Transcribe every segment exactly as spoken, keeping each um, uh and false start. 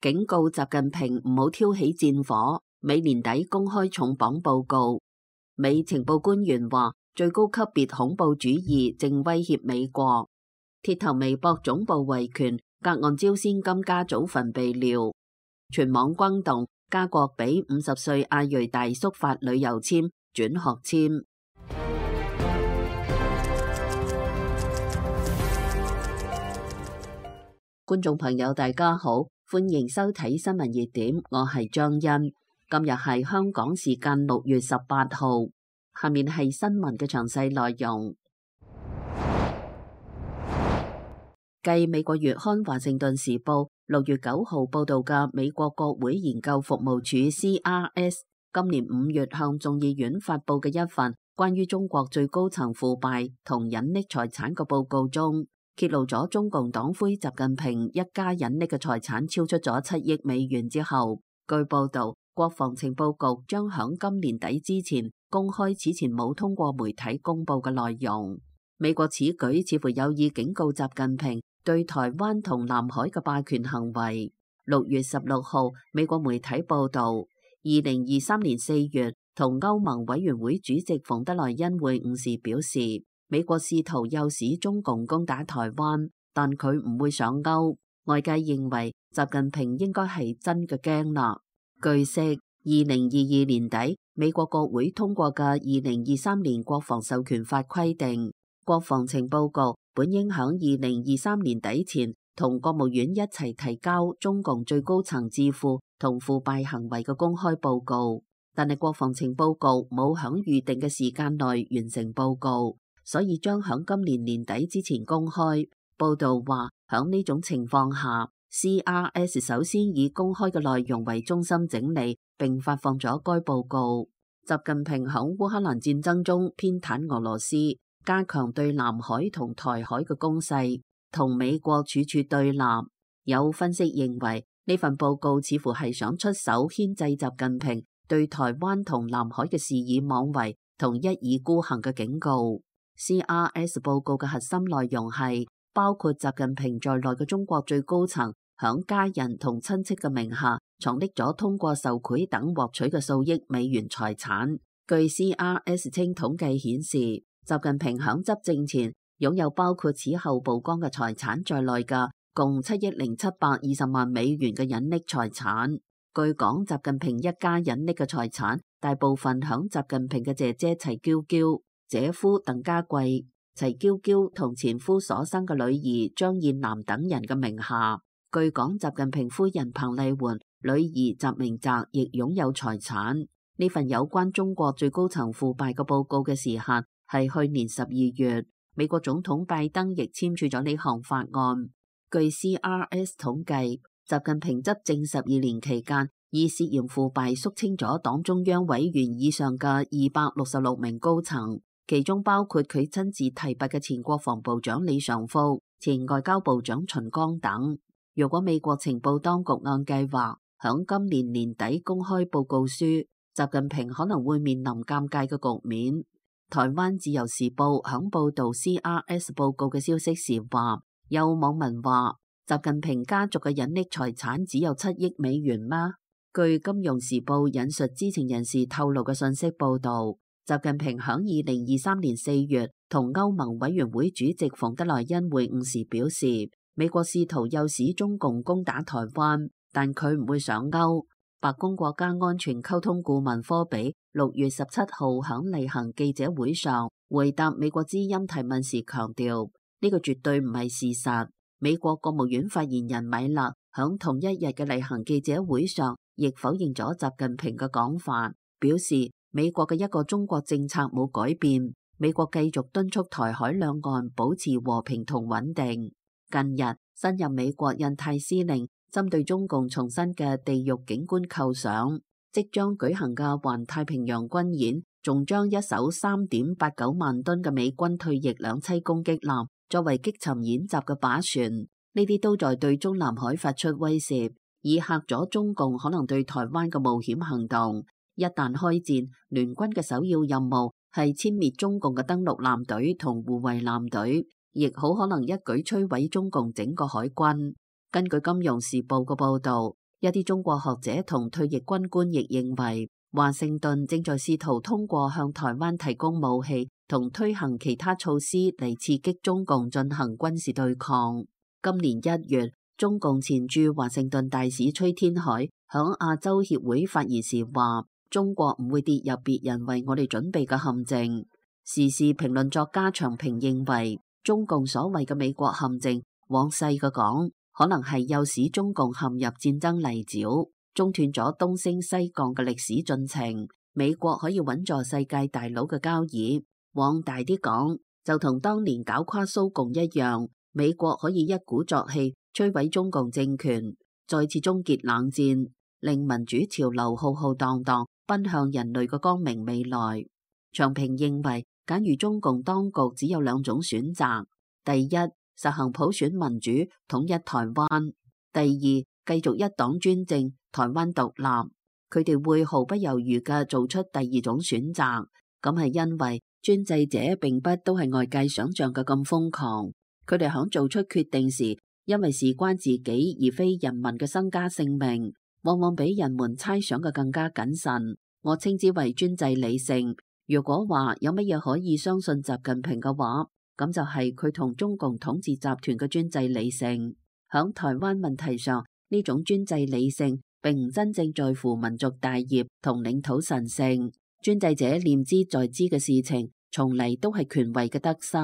警告習近平唔好挑起戰火，美年底公開重磅報告。美情報官員話，最高級別恐怖主義正威脅美國。鐵頭微博總部維權，隔岸招先金家祖墳被撩，全網轟動。加國俾五十歲亞裔大叔發旅遊簽轉學簽。觀眾朋友大家好，歡迎收睇新聞熱點，我係張欣。今日係香港時間六月十八號，下面係新聞嘅詳細內容。繼美國月刊華盛頓時報六月九號報道嘅美國國會研究服務處 C R S 今年五月向眾議院發佈嘅一份關於中國最高層腐敗同隱匿財產嘅報告中，揭露咗中共黨魁習近平一家隱匿嘅財產超出咗七億美元之後，據報道，國防情報局將響今年底之前公開此前冇通過媒體公佈嘅內容。美國此舉似乎有意警告習近平對台灣同南海嘅霸權行為。六月十六號，美國媒體報道，二零二三年四月同歐盟委員會主席馮德萊恩會晤時表示，美國試圖誘使中共攻打台灣，但佢唔會上鈎。外界認為習近平應該係真嘅驚啦。據悉，二零二二年底美國國會通過嘅二零二三年國防授權法規定，國防情報局本應響二零二三年底前同國務院一齊提交中共最高層智庫同腐敗行為嘅公開報告，但係國防情報局冇響預定嘅時間內完成報告，所以將響今年年底之前公開。報道話，響呢種情況下 ，C R S 首先以公開嘅內容為中心整理並發放咗該報告。習近平響烏克蘭戰爭中偏袒俄羅斯，加強對南海同台海嘅攻勢，同美國處處對立。有分析認為，呢份報告似乎係想出手牽制習近平對台灣同南海嘅肆意妄為同一意孤行嘅警告。C R S 報告嘅核心內容係包括習近平在內嘅中國最高層響家人同親戚嘅名下藏匿咗通過受賄等獲取嘅數億美元財產。據 C R S 稱統計顯示，習近平響執政前擁有包括此後曝光嘅財產在內嘅共七億零七百二十萬美元嘅隱匿財產。據講，習近平一家隱匿嘅財產大部分響習近平嘅姐姐齊嬌嬌、姐夫鄧家貴、齊嬌嬌同前夫所生嘅女兒張燕南等人嘅名下。據講，習近平夫人彭麗媛、女兒習明澤亦擁有財產。呢份有關中國最高層腐敗嘅報告嘅時限係去年十二月，美國總統拜登亦簽署咗呢項法案。據 C R S 統計，習近平執政十二年期間，以涉嫌腐敗肅清咗黨中央委員以上嘅二百六十六名高層，其中包括佢親自提拔嘅前國防部長李尚福、前外交部長秦剛等。如果美國情報當局按計劃響今年年底公開報告書，習近平可能會面臨尷尬嘅局面。台灣自由時報響報導 C R S 報告嘅消息時話，有網民話習近平家族嘅隱匿財產只有七億美元嗎？據金融時報引述知情人士透露嘅信息報導，習近平響二零二三年四月同歐盟委員會主席馮德萊恩會晤時表示，美國試圖誘使中共攻打台灣，但佢唔會上鈎。白宮國家安全溝通顧問科比六月十七號響例行記者會上回答美國之音提問時強調，呢個絕對唔係事實。美國國務院發言人米勒響同一日嘅例行記者會上亦否認咗習近平嘅講法，表示美國嘅一個中國政策冇改變，美國繼續敦促台海兩岸保持和平同穩定。近日，新任美國印太司令針對中共重新嘅地獄景觀構想，即將舉行嘅環太平洋軍演，仲將一艘三點八九萬噸嘅美軍退役兩棲攻擊艦作為擊沉演習嘅靶船，呢啲都在對中南海發出威懾，以嚇咗中共可能對台灣嘅冒險行動。一旦開戰，聯軍嘅首要任務係殲滅中共嘅登陸艦隊同護衛艦隊，亦好可能一舉摧毀中共整個海軍。根據金融時報嘅報導，一啲中國學者同退役軍官亦認為，華盛頓正在試圖通過向台灣提供武器同推行其他措施嚟刺激中共進行軍事對抗。今年一月，中共前駐華盛頓大使崔天凱響亞洲協會發言時話，中國唔會跌入別人為我哋準備嘅陷阱。時事評論作家長平認為，中共所謂嘅美國陷阱，往細嘅講，可能係誘使中共陷入戰爭泥沼，中斷咗東升西降嘅歷史進程。美國可以穩坐世界大佬嘅交椅。往大啲講，就同當年搞垮蘇共一樣，美國可以一鼓作氣摧毀中共政權，再次終結冷戰，令民主潮流浩浩蕩蕩奔向人類嘅光明未來。長平認為，假如中共當局只有兩種選擇：第一，實行普選民主統一台灣；第二，繼續一黨專政台灣獨立。佢哋會毫不猶豫嘅做出第二種選擇，咁係因為專制者並不都係外界想象嘅咁瘋狂。佢哋響做出決定時，因為事關自己而非人民嘅身家性命，往往比人們猜想嘅更加謹慎。我稱之為專制理性。如果話有乜嘢可以相信習近平嘅話，咁就係佢同中共統治集團嘅專制理性。響台灣問題上，呢種專制理性並唔真正在乎民族大業同領土神聖。專制者念之在之嘅事情，從嚟都係權位嘅得失。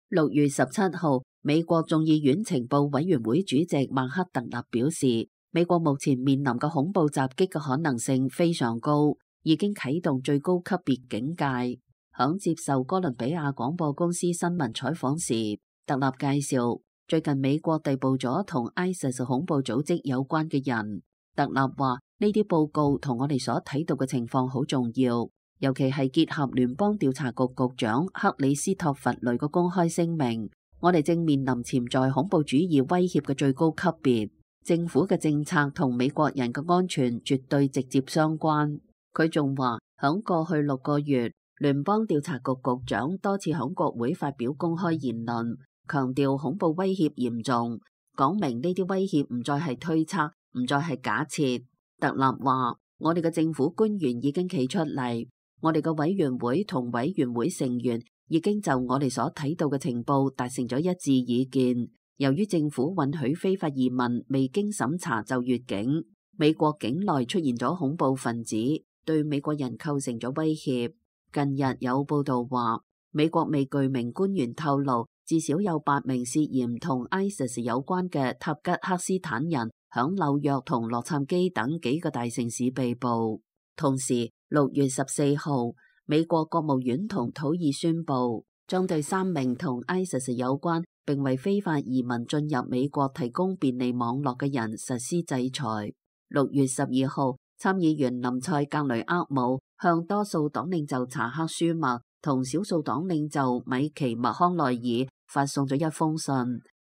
六月十七號，美國眾議院情報委員會主席曼克特納表示，美國目前面臨嘅恐怖襲擊嘅可能性非常高，已經啟動最高級別警戒。響接受哥倫比亞廣播公司新聞採訪時，特納介紹最近美國逮捕咗同 ISIS 恐怖組織有關嘅人。特納話呢啲報告同我哋所睇到嘅情況好重要，尤其係結合聯邦調查局局長克里斯托弗雷嘅公開聲明，我哋正面臨潛在恐怖主義威脅嘅最高級別。政府嘅政策同美國人嘅安全絕對直接相關。佢仲話，響過去六個月，聯邦調查局局長多次響國會發表公開言論，強調恐怖威脅嚴重，講明呢啲威脅唔再係推測，唔再係假設。特納話，我哋嘅政府官員已經企出嚟，我哋嘅委員會同委員會成員已經就我哋所睇到嘅情報達成咗一致意見。由於政府允許非法移民未經審查就越境，美國境內出現咗恐怖分子，對美國人構成咗威脅。近日有報道話，美國未具名官員透露，至少有八名涉嫌同 ISIS 有關嘅塔吉克斯坦人響紐約同洛杉磯等幾個大城市被捕。同時，六月十四號，美國國務院同土耳其宣布，將對三名同 ISIS 有關並為非法移民進入美國提供便利網絡嘅人實施制裁。六月十二號，參議員林賽格雷厄姆向多數黨領袖查克舒默同少數黨領袖米奇麥康奈爾發送咗一封信，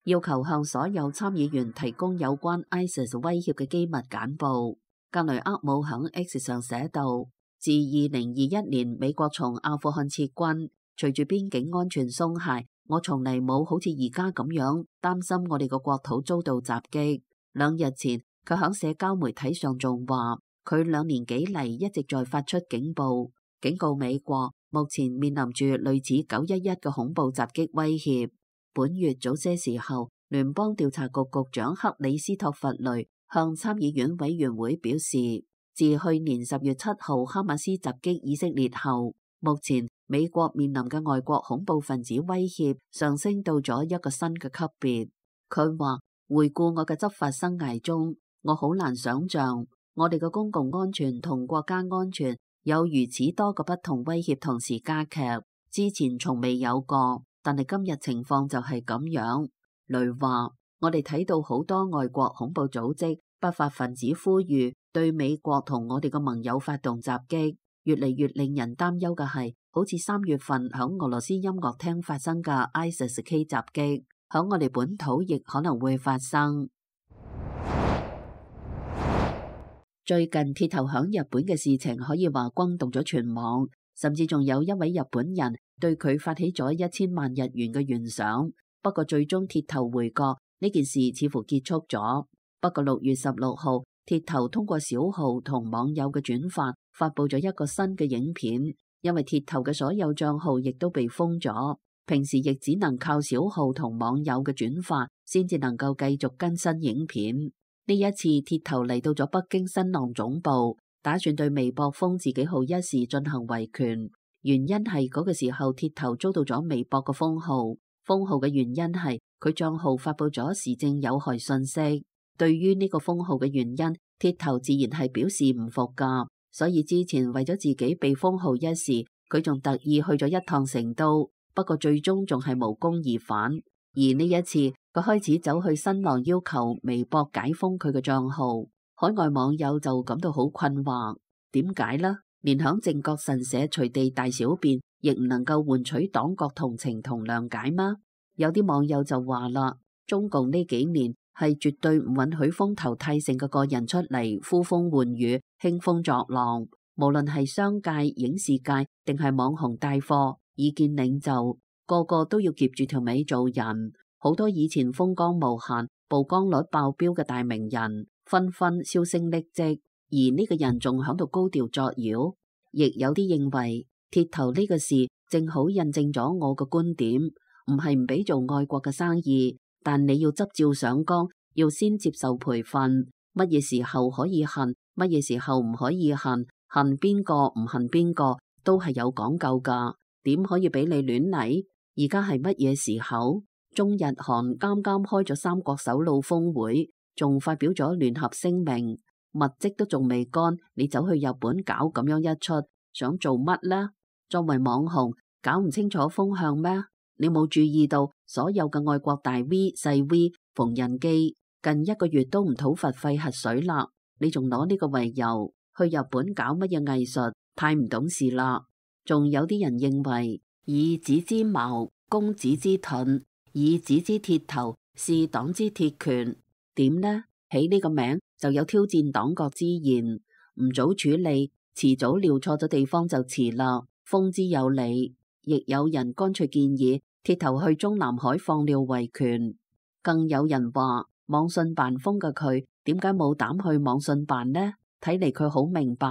要求向所有參議員提供有關 ISIS 威脅嘅機密簡報。格雷厄姆響 X 上寫道，自二零二一年美國從阿富汗撤軍，隨住邊境安全鬆懈，我從嚟冇好似而家咁樣擔心我哋個國土遭到襲擊。兩日前，佢響社交媒體上仲話，佢兩年幾嚟一直在發出警報，警告美國目前面臨住類似九一一嘅恐怖襲擊威脅。本月早些時候，聯邦調查局局長克里斯托弗雷向參議院委員會表示，自去年十月七號哈馬斯襲擊以色列後，目前美國面臨嘅外國恐怖分子威脅上升到咗一個新嘅級別。佢話，回顧我嘅執法生涯中，我好難想象我哋嘅公共安全同國家安全有如此多個不同威脅同時加劇，之前從未有過，但係今日情況就係咁樣。雷話，我哋睇到好多外國恐怖組織、不法分子呼籲對美國同我哋嘅盟友發動襲擊，越嚟越令人擔憂嘅係，好似三月份響俄羅斯音樂廳發生嘅 ISIS K 襲擊，響我哋本土亦可能會發生。最近鐵頭響日本嘅事情可以話轟動咗全網，甚至仲有一位日本人對佢發起咗一千萬日元嘅懸賞。不過最終鐵頭回國，呢件事似乎結束咗。不過六月十六號，鐵頭通過小號同網友嘅轉發，發佈咗一個新嘅影片。因為鐵頭嘅所有賬號亦都被封咗，平時亦只能靠小號同網友嘅轉發，先至能夠繼續更新影片。呢一次鐵頭嚟到咗北京新浪總部，打算對微博封自己號一事進行維權。原因係嗰個時候鐵頭遭到咗微博嘅封號，封號嘅原因係佢賬號發佈咗時政有害信息。對於呢個封號嘅原因，鐵頭自然係表示唔服噶。所以之前為咗自己被封號一事，佢仲特意去咗一趟成都，不過最終仲係無功而返。而呢一次，佢開始走去新浪要求微博解封佢嘅賬號，海外網友就感到好困惑，點解呢？連響靖國神社隨地大小便，亦唔能夠換取黨國同情同諒解嗎？有啲網友就話啦，中共呢幾年係絕對唔允許風頭太盛嘅個人出嚟呼風喚雨、興風作浪，無論係商界、影視界定係網紅帶貨、意見領袖，個個都要夾住條尾做人。好多以前風光無限、曝光率爆表嘅大名人，紛紛銷聲匿跡，而呢個人仲響度高調作妖。亦有啲認為鐵頭呢個事正好印證咗我嘅觀點，唔係唔俾做愛國嘅生意，但你要執照上崗，要先接受培訓，乜嘢時候可以恨，乜嘢時候唔可以恨，恨邊個唔恨邊個都係有講究噶，點可以俾你亂嚟？而家係乜嘢時候？中日韓啱啱開咗三國首腦峰會，仲發表咗聯合聲明，物績都仲未乾，你走去日本搞咁樣一出，想做乜呢？作為網紅，搞唔清楚風向咩？你冇注意到所有嘅愛國大 V 細 V 縫紉機近一個月都唔討伐廢核水啦，你仲攞呢個為由去日本搞乜嘢藝術？太唔懂事啦！仲有啲人認為以子之矛攻子之盾，以子之鐵頭是黨之鐵拳，點呢？起呢個名就有挑戰黨國之嫌，唔早處理，遲早撩錯咗地方就遲啦。封之有理，亦有人乾脆建議鐵頭去中南海放料維權，更有人話網信辦封嘅佢，點解冇膽去網信辦呢？睇嚟佢好明白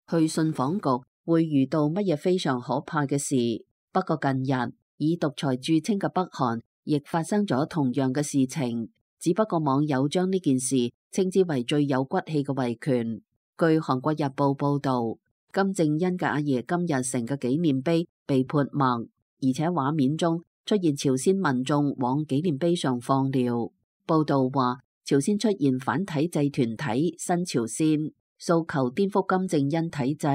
去信訪局會遇到乜嘢非常可怕嘅事。不過近日以獨裁著稱嘅北韓亦發生咗同樣嘅事情，只不過網友將呢件事稱之為最有骨氣嘅維權。據韓國日報報道，金正恩嘅阿爺金日成嘅紀念碑被潑墨，而且畫面中出現朝鮮民眾往紀念碑上放料。報道話，朝鮮出現反體制團體新朝鮮，訴求顛覆金正恩體制。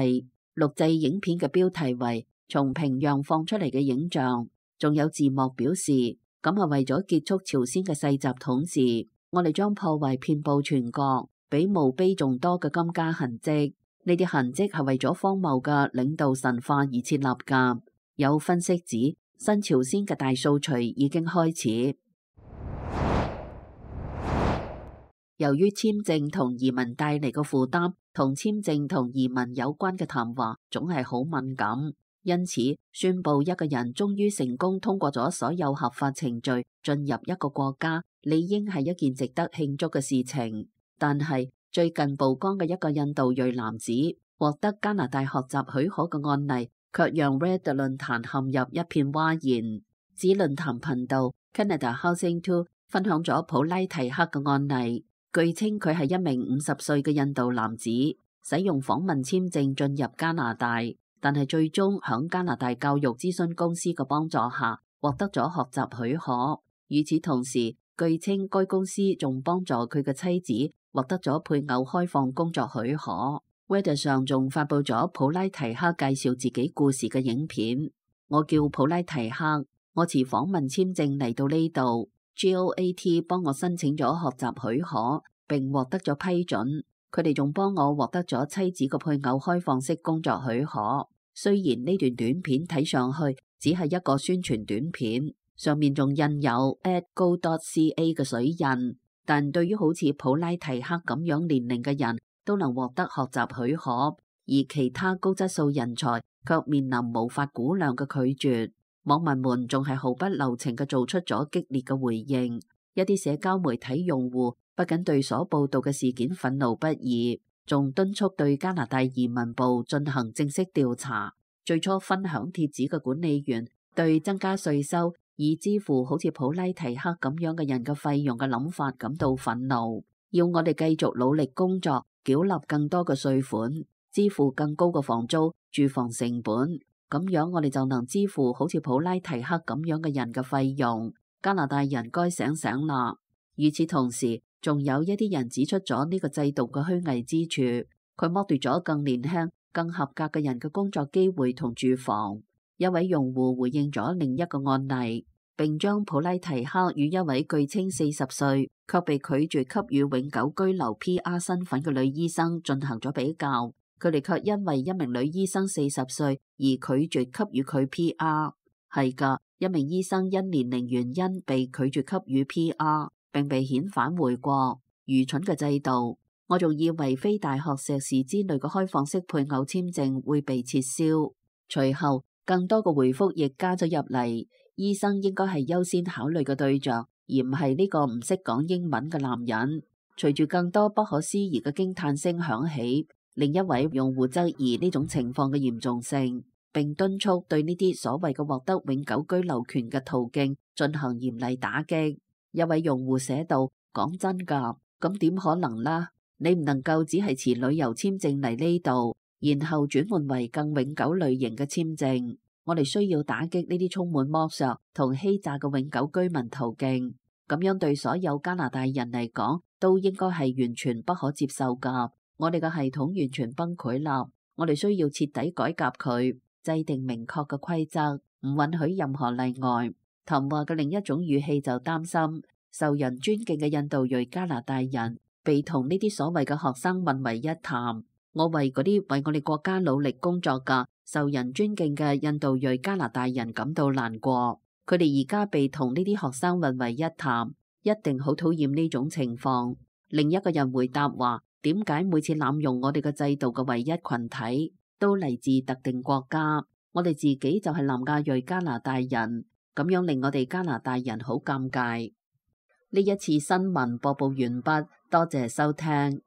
錄製影片嘅標題為從平壤放出嚟嘅影像，仲有字幕表示，咁係為咗結束朝鮮嘅世襲統治，我哋將破壞遍佈全國，比墓碑仲多嘅金家痕跡。呢啲痕跡係為咗荒謬嘅領導神話而設立噶。有分析指，新朝鮮嘅大掃除已經開始。由於簽證同移民帶嚟嘅負擔，同簽證同移民有關嘅談話總係好敏感，因此宣布一個人終於成功通過咗所有合法程序進入一個國家，理應係一件值得慶祝嘅事情。但係最近曝光嘅一個印度裔男子獲得加拿大學習許可嘅案例，卻讓 Reddit 論壇陷入一片譁然。指論壇頻道 Canada Housing Two 分享咗普拉提克嘅案例。據稱佢係一名五十歲嘅印度男子，使用訪問簽證進入加拿大，但係最終響加拿大教育諮詢公司嘅幫助下獲得咗學習許可。與此同時，據稱該公司仲幫助佢嘅妻子獲得咗配偶開放工作許可。Reddit 上仲發佈咗普拉提克介紹自己故事嘅影片。我叫普拉提克，我持訪問簽證嚟到呢度。G O A T 幫我申請咗學習許可，並獲得咗批准。佢哋仲幫我獲得咗妻子個配偶開放式工作許可。雖然呢段短片睇上去只係一個宣傳短片，上面仲印有 at go dot c a 嘅水印，但對於好似普拉提克咁樣年齡嘅人都能獲得學習許可，而其他高質素人才卻面臨無法估量嘅拒絕。網民們仲係毫不留情嘅做出咗激烈嘅回應，一啲社交媒體用戶不僅對所報道嘅事件憤怒不已，仲敦促對加拿大移民部進行正式調查。最初分享帖子嘅管理員對增加稅收以支付好似普拉提克咁樣嘅人嘅費用嘅諗法感到憤怒，要我哋繼續努力工作，繳納更多嘅稅款，支付更高嘅房租、住房成本，咁樣我哋就能支付好似普拉提克咁樣嘅人嘅費用。加拿大人該醒醒啦！與此同時，仲有一啲人指出咗呢個制度嘅虛偽之處，佢剝奪咗更年輕、更合格嘅人嘅工作機會同住房。一位用戶回應咗另一個案例，並將普拉提克與一位據稱四十歲卻被拒絕給予永久居留 P R 身份嘅女醫生進行咗比較。佢哋卻因為一名女醫生四十歲而拒絕給予佢 P R。係噶，一名醫生因年齡原因被拒絕給予 P R， 並被遣返回國。愚蠢嘅制度！我仲以為非大學碩士之類嘅開放式配偶簽證會被撤銷。隨後，更多嘅回覆亦加咗入嚟。醫生應該係優先考慮嘅對象，而唔係呢個唔識講英文嘅男人。隨住更多不可思議嘅驚嘆聲響起，另一位用戶質疑呢種情況嘅嚴重性，並敦促對呢啲所謂嘅獲得永久居留權嘅途徑進行嚴厲打擊。一位用戶寫道：講真㗎，咁點可能啦？你唔能夠只係持旅遊簽證嚟呢度，然後轉換為更永久類型嘅簽證。我哋需要打擊呢啲充滿剝削同欺詐嘅永久居民途徑，咁樣對所有加拿大人嚟講都應該係完全不可接受㗎。我哋嘅系統完全崩潰啦，我哋需要徹底改革佢，制定明確嘅規則，唔允許任何例外。談話嘅另一種語氣就擔心，受人尊敬嘅印度裔加拿大人被同呢啲所謂嘅學生混為一談。我為嗰啲為我哋國家努力工作嘅受人尊敬嘅印度裔加拿大人感到難過。佢哋而家被同呢啲學生混為一談，一定好討厭呢種情況。另一個人回答話：點解每次濫用我哋嘅制度嘅唯一群體都嚟自特定國家？我哋自己就係南亞裔加拿大人，咁樣令我哋加拿大人好尷尬。呢一次新聞播報完畢，多謝收聽。